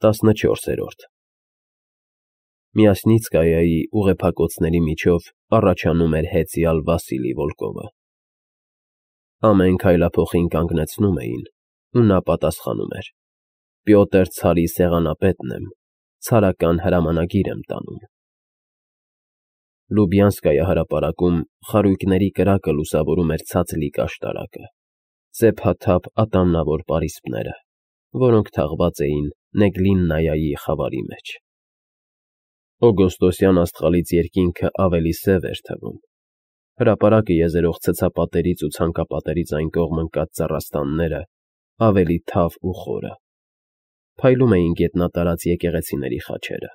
14 Միասնիցկայայի ուղեփակոցների միջով առաջանում էր հեծյալ Վասիլի Վոլկովը։ Ամեն քայլափոխին կանգնեցնում էին, ու նա պատասխանում էր. Պյոտր Ցարի սեղանապետն եմ, ցարական հրամանագիր եմ տանում։ Լուբյանսկայի հրապարակում խարույկների կրակը լուսավորում էր ցածլիկ աշտարակը, սեփաթափ ատամնավոր պարիսպները, որոնք թաղված էին Նեգլիննայի խավարի մեջ։ Օգոստոսյան աստղալից երկինքը ավելի սև էր թվում։ Հրապարակը եզերող ցցապատերից ու ցանկապատերից այն կողմ ընկած ծառաստանները ավելի թավ ու խորը։ Փայլում էին գետնատարած եկեղեցիների խաչերը։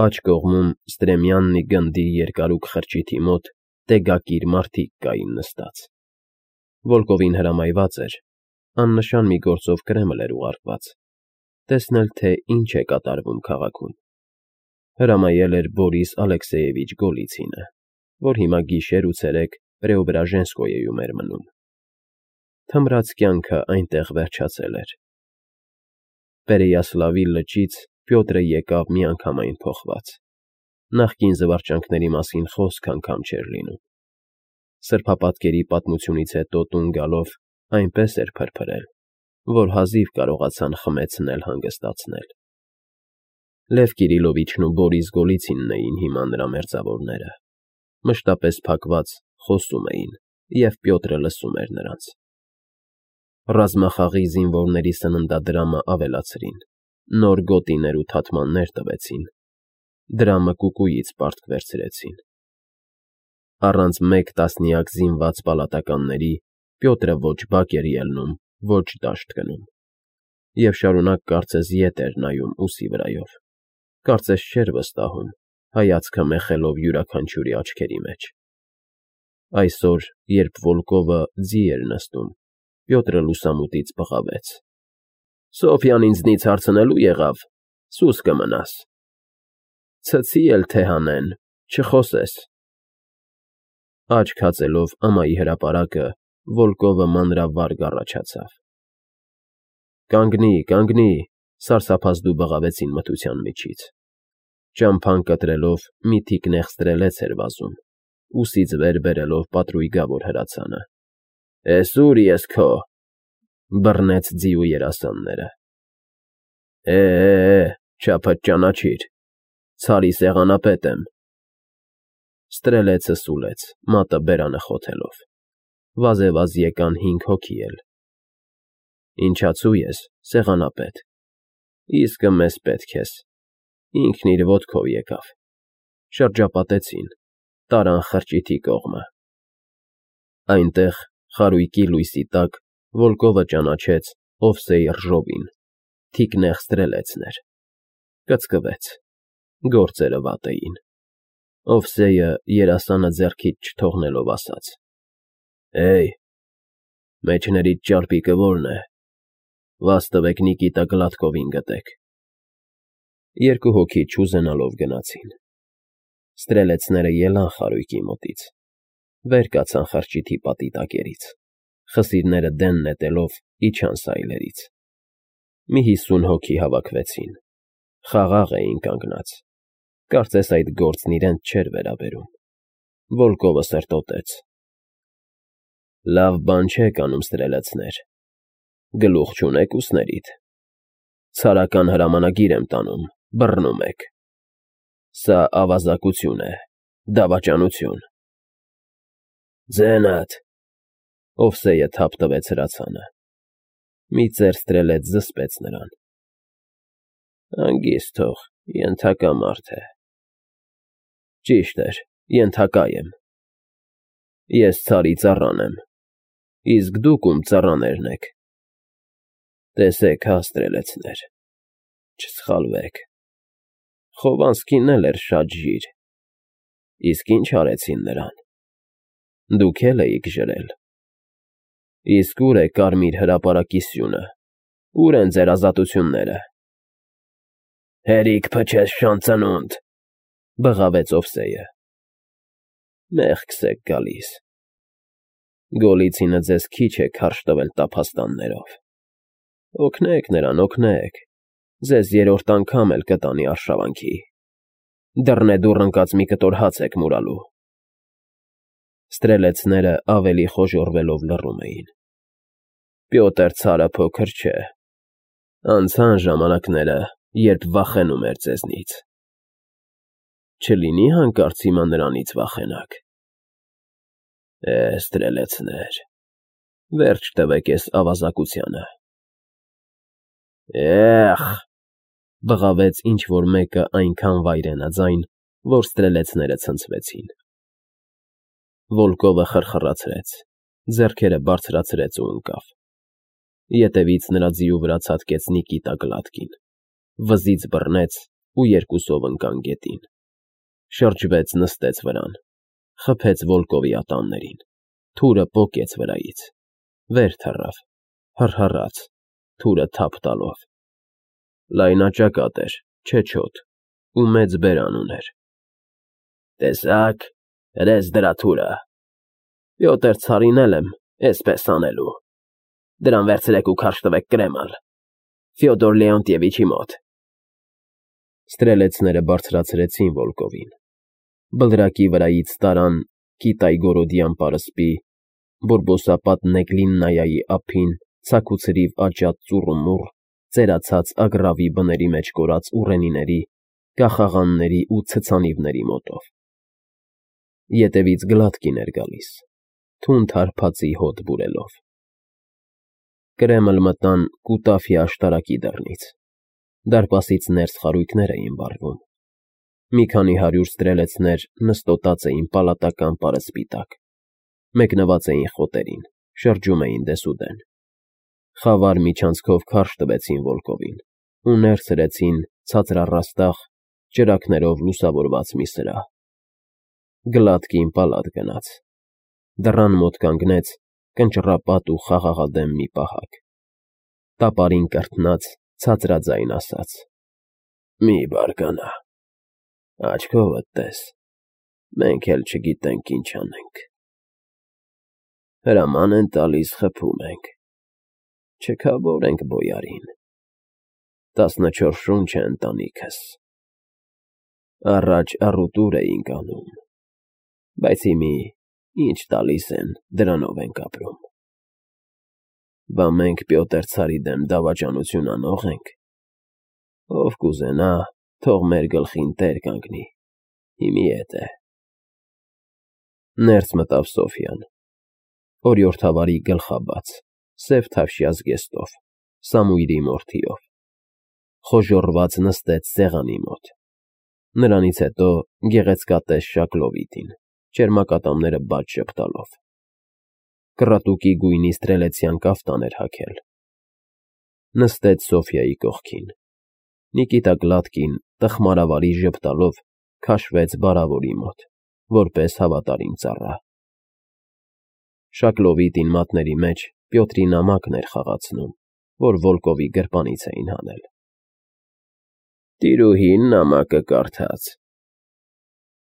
Աջ կողմում Ստրեմյաննի գնդի երկարուկ խրճիթի մոտ տեգակիր մարդիկ կային նստած։ Վոլկովին հրամայված էր, աննշան մի գործով Կրեմլ էր ուղարկված, տեսնել, թե ինչ է կատարվում քաղաքում։ Հրամայել էր Բորիս Ալեքսեևիչ Գոլիցինը, որ հիմա գիշեր ու ցերեկ Պրեոբրաժենսկոյեում էր մնում։ Թմրած կյանքը այնտեղ վերջացել էր։ Պերեյասլավի լճից Պյոտրը եկավ միանգամայն փոխված։ Նախկին զվարճանքների մասին խոսք անգամ չէր լինում։ Սրբապատկերի պատմությունից հետո տուն գալով այնպես էր փրփրել, որ հազիվ կարողացան խմեցնել հանգստացնել։ Լև Կիրիլովիչն ու Բորիս Գոլիցինն էին հիմա նրա մերձավորները։ Մշտապես փակված խոսում էին, և Պյոտրը լսում էր նրանց։ Ռազմախաղի զինվորների սննդադրամը ավելացրին, նոր գոտիներ ու թաթմաններ տվեցին, դրամը կուկուից պարտք վերցրեցին։ Առանց մեկ տասնյակ զինված պալատականների Պյոտրը ոչ բակ էր ելնում, ոչ դաշտ գնում, և շարունակ կարծես ետ էր նայում ուսի վրայով, կարծես չէր վստահում, հայացքը մեխելով յուրաքանչյուրի աչքերի մեջ։ Այսօր, երբ Վոլկովը ձի էր նստում, Պյոտրը լուսամուտից բղավեց. Սոֆյան ինձնից հարցնելու եղավ, սուս կմնաս։ Ցցի էլ թե հանեն, չխոսես։ Աչք հացելով ամայի հրապարակը, Վոլկովը մանրավարգ առաջացավ։ Կանգնի, սարսափազդու բղավեցին մթության միջից։ Ճամփան կտրելով մի թիկնեղ ստրելեց էր վազում, ուսից վեր բերելով պատրույգավոր հրացանը։ Էս ուր ես քո, բռնեց ձիու երասանները։ Չափդ ճանաչիր, Ցարի սեղանապետ եմ։ Ստրելեցը սուլեց, մատը բերանը խոթելով։ Վազեվազ եկան 5 հոգի էլ։ Ինչացու ես, սեղանապետ։ Իսկը մեզ պետք ես։ Ինքն իր ոտքով եկավ։ Շրջապատեցին, տարան խրճիթի կողմը։ Այնտեղ, խարույկի լույսի տակ, Վոլկովը ճանաչեց Օվսեյ Ռժովին, թիկնեղ ստրելեցներ։ Կծկվեց, գործերը վատ էին։ Օվսեյը երասանը ձեռքից չթողնելով ասաց. Մեջներիդ ճարպիկը որն է։ Վազ տվեք Նիկիտա Գլադկովին գտեք։ 2 հոգի չուզենալով գնացին։ Ստրելեցները ելան խարույկի մոտից, վեր կացան խրճիթի պատի տակերից, խսիրները դեն նետելով իջան սայլերից։ Մի 50 հոգի հավաքվեցին, խաղաղ էին կանգնած, կարծես այդ գործն իրենց չէր վերաբերում։ Վոլկովը սրտոտեց. Լավ բան չեք անում, ստրելեցներ, գլուխ չունեք ուսներիդ։ Ցարական հրամանագիր եմ տանում, բռնում եք։ Սա ավազակություն է, դավաճանություն։ Ձենդ, Օվսեյը թափ տվեց հրացանը։ Մի ծեր ստրելեց զսպեց նրան։ Հանգիստ թող, ենթակա մարդ է։ Ճիշտ էր, ենթակա եմ։ Ես Ցարի ծառան եմ, իսկ դուք ում ծառաներն եք։ Տեսեք, հա, ստրելեցներ, չսխալվեք։ Խովանսկին էլ էր շատ ժիր, իսկ ինչ արեցին նրան։ Դուք էլ էիք ժրել։ Իսկ ուր է կարմիր հրապարակի սյունը, ուր են ձեր ազատությունները։ Հերիք փչես շանծնունդ, բղավեց Օվսեյը։ Մեղքս եք գալիս։ Գոլիցինը ձեզ քիչ է քարշ տվել տափաստաններով։ Օգնեք նրան, օգնեք, Ձեզ երրորդ անգամ էլ կտանի արշավանքի։ Դռնեդուռ ընկած մի կտոր հաց եք մուրալու։ Ստրելեցները ավելի խոժոռվելով լռում էին։ Պյոտր ցարը փոքր չէ։ Անցան ժամանակները, երբ վախենում էր ձեզնից։ Չլինի հանկարծ հիմա նրանից վախենաք։ Ստրելեցներ, վերջ տվեք էս ավազակությանը։ Բղավեց ինչ-որ մեկը այնքան վայրենաձայն, որ ստրելեցները ցնցվեցին։ Վոլկովը խրխրացրեց, ձեռքերը բարձրացրեց ու ընկավ։ Ետևից նրա ձիու վրա ցատկեց Նիկիտա Գլատկին, վզից բռնեց ու երկուսով ընկան գետին։ Շրջվեց, նստեց վրան, խփեց Վոլկովի ատամներին, թուրը պոկեց վրայից, վեր թռավ, հռհռաց, թուրը թափ տալով։ Լայնաճակատ էր, չեչոտ, ու մեծ բերան ուներ։ Տեսա՞ք, հրես դրա թուրը։ Պյոտր ցարին էլ եմ էսպես անելու։ Դրան վերցրեք ու քարշ տվեք Կրեմլ, Ֆյոդոր Լեոնտիևիչի մոտ։ Ստրելեցները բարձրացրեցին Վոլկովին։ Բլրակի վրայից տարան Կիտայգորոդյան պարսպի, բորբոսապատ Նեգլիննայայի ափին, ցաքուցրիվ աճած ծուռումուռ, ծերացած ագռավի բների մեջ կորած ուռենիների, կախաղանների ու ցցանիվների մոտով։ Ետևից Գլատկին էր գալիս, թունդ հարբածի հոտ բուրելով։ Կրեմլ մտան Կուտաֆի աշտարակի դռնից։ Դարպասից ներս խարույկներ էին վառվում։ Մի քանի 100 ստրելեցներ նստոտած էին պալատական պարսպի տակ, մեկնված էին խոտերին, շրջում էին դեսուդեն։ Խավար միջանցքով քարշ տվեցին Վոլկովին ու ներս հրեցին ցածրառաստաղ, ճրագներով լուսավորված մի սրահ։ Գլատկին պալատ գնաց։ Դռան մոտ կանգնեց կնճռապատ ու խաղաղադեմ մի պահակ։ Տապարին կրթնած, ցածրաձայն ասաց. «Մի բարկանա, աչքովդ տես, մենք էլ չգիտենք ինչ անենք։ Հրաման են տալիս, խփում ենք, չքավորենք բոյարին, 14 շունչ է ընտանիքս։ Առաջ առուտուր էինք անում, բայց հիմի ինչ տալիս են, դրանով ենք ապրում։ Բա մենք Պյոտր ցարի դեմ դավաճանություն անող ենք։ Ով կուզենա, թող մեր գլխին տեր կանգնի, հիմի էդ է»։ Ներս մտավ Սոֆյան, օրիորդավարի գլխաբաց, սև թավշյա զգեստով, Սամուիլի մորթիով։ Խոժոռված նստեց սեղանի մոտ։ Նրանից հետո գեղեցկատես Շակլովիտին, ճերմակատամները բաց ժպտալով։ Կռատուկի գույնի ստրելեցյան կաֆտան էր հագել։ Նստեց Սոֆյայի կողքին։ Նիկիտա Գլատկին տխմարավարի ժպտալով քաշվեց բարավորի մոտ, որպես հավատարիմ ծառա։ Շակլովիտին մատների մեջ Պյոտրի նամակն էր խաղացնում, որ Վոլկովի գրպանից էին հանել։ Տիրուհին նամակը կարդաց։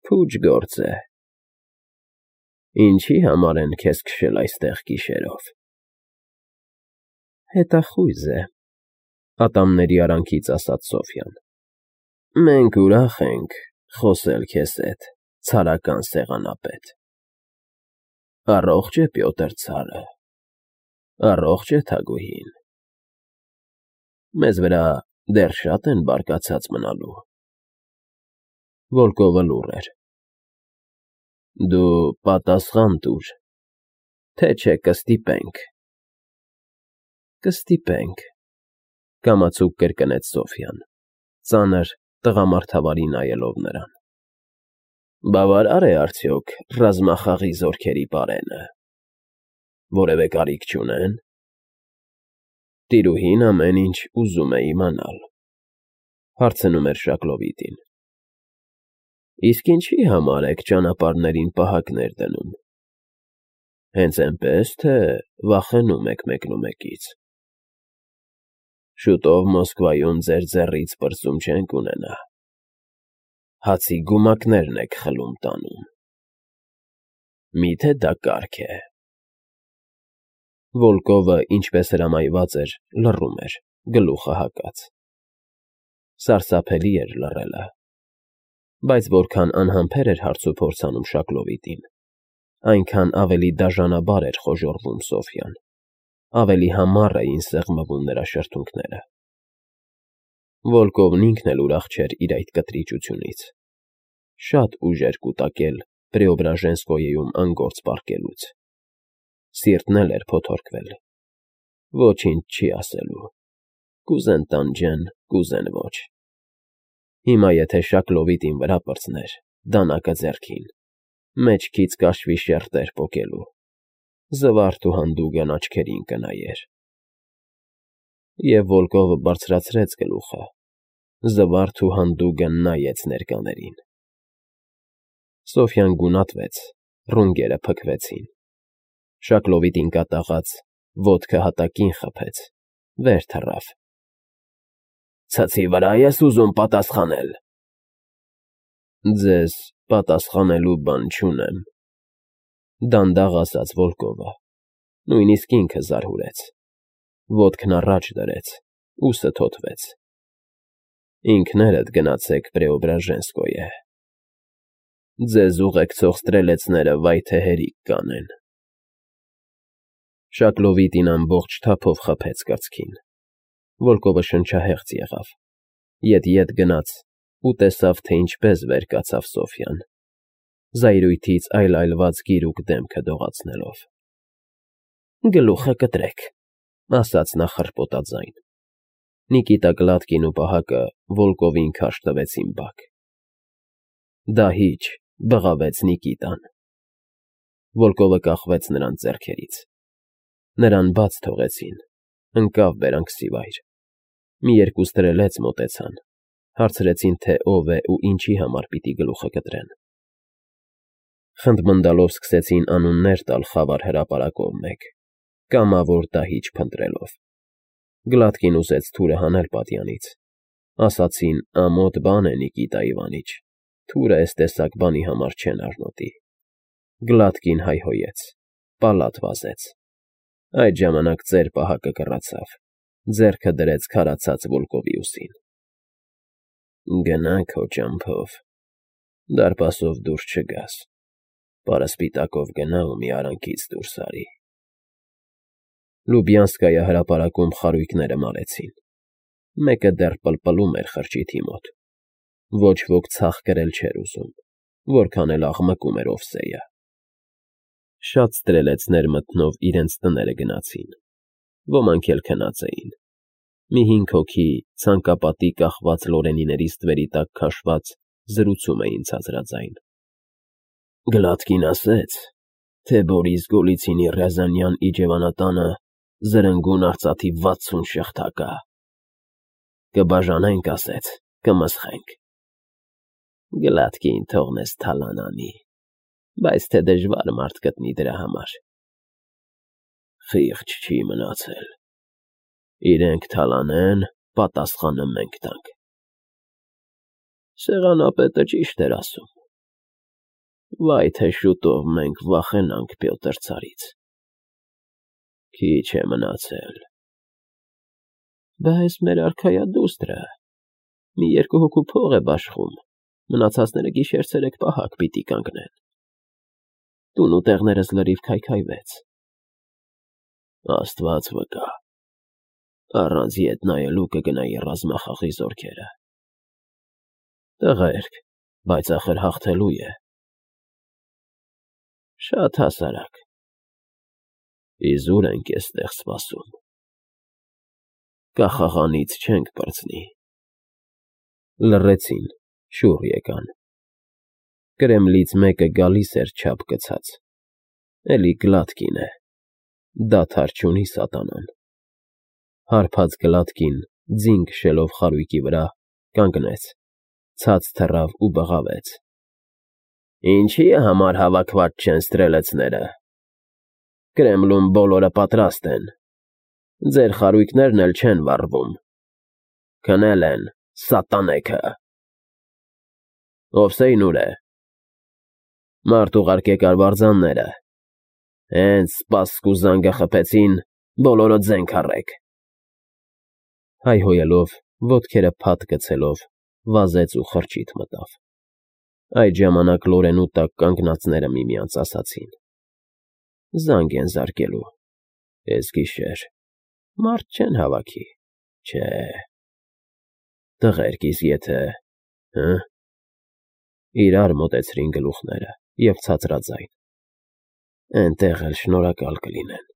Փուջ գործ է։ Ինչի համար են քեզ քշել այստեղ գիշերով։ Հետախույզ է, ատամների արանքից ասաց Սոֆյան։ Մենք ուրախ ենք խոսել քեզ հետ, ցարական սեղանապետ։ Առողջ է Պյոտր ցարը, առողջ է Թագուհին։ Մեզ վրա դեռ շատ են բարկացած մնալու։ Վոլկովը լուռ էր։ Դու պատասխան տուր, թե չէ կստիպենք։ Կստիպենք, կամացուկ կրկնեց Սոֆյան, ծանր տղամարդավարի նայելով նրան։ Բավարար է արդյոք ռազմախաղի զորքերի պարենը։ Որևէ կարիք չունեն։ Տիրուհին ամեն ինչ ուզում է իմանալ, հարցնում էր Շակլովիտին։ Իսկ ինչի համար եք ճանապարհներին պահակներ դնում։ Հենց այնպես, թե վախենում եք մեկնումեկից։ Շուտով Մոսկվայում ձեր ձեռից պրծում չենք ունենա։ Հացի գումակներն եք խլում տանում։ Միթե դա կարգ է։ Վոլկովը, ինչպես հրամայված էր, լռում էր, գլուխը հակած։ Սարսափելի էր լռելը, բայց որքան անհամբեր էր հարցուփորձանում Շակլովիտին, այնքան ավելի դաժանաբար էր խոժոռվում Սոֆյան, ավելի համառ էին սեղմվում նրա շրթունքները։ Վոլկովն ինքն էլ ուրախ չէր իր այդ կտրիճությունից։ Շատ ուժ էր կուտակել Պրեոբրաժենսկոյեում անգործ պառկելուց։ Սիրտն էլ էր փոթորկվել։ Ոչինչ չի ասելու։ Կուզեն տանջեն, կուզեն ոչ։ Հիմա եթե Շակլովիտին վրա պրծներ, դանակը ձեռքին, մեջքից կաշվի շերտեր պոկելու, զվարթ ու հանդուգն աչքերին կնայեր։ Եվ Վոլկովը բարձրացրեց գլուխը, զվարթ ու հանդուգն նայեց ներկաներին։ Սոֆյան գունատվեց, ռունգերը փքվեցին։ Շակլովիտին կատաղած, ոտքը հատակին խփեց, վեր թռավ։ Ցցի վրա ես ուզում պատասխանել։ Ձեզ պատասխանելու բան չունեմ, դանդաղ ասաց Վոլկովը, նույնիսկ ինքը զարհուրեց, ոտքն առաջ դրեց, ուսը թոթվեց։ Ինքներդ գնացեք Պրեոբրաժենսկոյե։ Ձեզ ուղեկցող ստրելեցները վայ թե հերիք կանեն։ Շակլովիտին ամբողջ թափով խփեց կրծքին։ Վոլկովը շնչահեղձ եղավ, ետ գնաց ու տեսավ, թե ինչպես վեր կացավ Սոֆյան, զայրույթից այլայլված գիրուկ դեմքը դողացնելով։ Գլուխը կտրեք, ասաց նա խռպոտաձայն։ Նիկիտա Գլատկին ու պահակը Վոլկովին քարշ տվեցին բակ։ Դահիճ, բղավեց Նիկիտան։ Վոլկովը կախվեց նրան ձեռքերից։ Նրան բաց թողեցին, ընկավ բերանքսիվայր։ Մի երկու ստրելեց մոտեցան, հարցրեցին, թե ով է ու ինչի համար պիտի գլուխը կտրեն։ Խնդմնդալով սկսեցին անուններ տալ խավար հրապարակով մեկ, կամավոր դահիճ փնտրելով։ Գլատկին ուզեց թուրը հանել պատյանից։ Ասացին, ամոթ բան է Նիկիտա Իվանիչ, թուրը էս տեսակ բանի համար չեն արնոտի։ Գլատկին հայհոյեց, պալատ վազեց։ Այդ ժամանակ ծեր պահակը կռացավ, ձեռքը դրեց քարացած Վոլկովի ուսին։ Գնա քո ճամփով, դարպասով դուրս չգաս, պարասպիտակով գնա ու մի արանքից դուրս արի։ Լուբյանսկայա հրապարակում խարույկները մարեցին։ Մեկը դեռ պլպլում էր խրճիթի մոտ։ Ոչ ոք ցախ կրել չէր ուզում, որքան էլ աղմկում էր Օվսեյը։ Շատ ստրելեցներ մտնով իրենց տները գնացին, ոմանք էլ քնած էին։ Մի 5 հոգի ցանկապատի կախված լորենիների ստվերի տակ քաշված զրուցում էին ցածրաձայն։ Գլատկին ասեց, թե Բորիս Գոլիցինի Ռյազանյան իջևանատանը զրնգուն արծաթի 60 շղթա կա։ Կբաժանենք, ասեց, կմսխենք։ Գլատկին թողնես թալանանի, բայց թե դժվար մարդ գտնի դրա համար։ Խիղճ չի մնացել։ Իրենք թալանեն, պատասխանը մենք տանք։ Սեղանապետը ճիշտ էր ասում։ Վայ թե շուտով մենք վախենանք Պյոտր ցարից։ Քիչ է մնացել։ Բայց մեր արքայադուստրը մի 2 հոգու փող է բաշխում, մնացածները գիշեր-ցերեկ պահակ պիտի կանգնեն։ Տուն ու տեղներս լրիվ քայքայվեց։ Աստված վկա, առանց ետ նայելու կգնայի ռազմախաղի զորքերը։ Տղերք, բայց ախր հաղթելու է։ Շատ հասարակ։ Իզուր ենք էստեղ սպասում։ Կախաղանից չենք պրծնի։ Լռեցին, շուռ եկան։ Կրեմլից մեկը գալիս էր չափ գցած։ Էլի Գլատկին է։ Դադար չունի սատանան։ Հարբած Գլատկին, ձին քշելով խարույկի վրա, կանգնեց, ցած թռավ ու բղավեց։ Ինչի համար հավաքված չեն ստրելեցները։ Կրեմլում բոլորը պատրաստ են։ Ձեր խարույկներն էլ չեն վառվում։ Քնել են, սատանեքը։ Օվսեյն ուր է։ Մարդ ուղարկեք արվարձանները։ Հենց սպասք ու զանգը խփեցին, բոլորը ձենք առեք։ Հայհոյելով ոտքերը փաթ գցելով վազեց ու խրճիթ մտավ։ Այդ ժամանակ լորենու տակ կանգնածները միմյանց ասացին. «Զանգ են զարկելու, էս գիշեր, մարդ չեն հավաքի, չէ, տղերք իսկ եթե, հը»։ Իրար մոտեցրին գլուխները և ցածրաձայն. «Էնտեղ էլ շնորհակալ կլինեն»։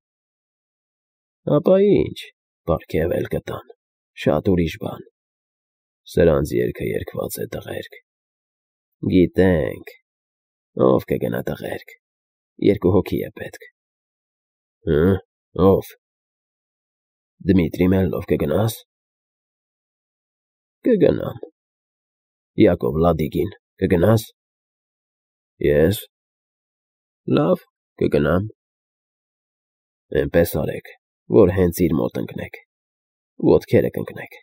Ապա ինչ, պարգև էլ կտան, շատ ուրիշ բան։ Սրանց երգը երգված է, տղերք։ Գիտենք, ով կգնա, տղերք, 2 հոգի է պետք։ Հը՞, ով։ Դմիտրի Մելնով կգնա՞ս։ Կգնամ։ Յակով Լադիգին կգնա՞ս։ Ես։ Լավ, կգնամ։ Էնպես արեք, որ հենց իր մոտ ընկնեք, ոտքերը կընկնեք,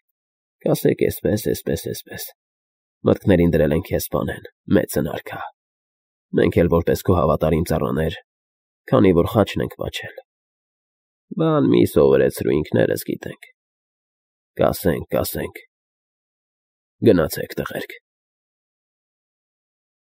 կասեք էսպես։ Մտքներին դրել են քեզ սպանեն, մեծ հնարք ա։ Մենք էլ որպես քո հավատարիմ ծառաներ, քանի որ խաչն ենք պաչել։ Բան մի սովորեցրու, ինքներս գիտենք։ Կասենք։ Գնացեք, տղերք։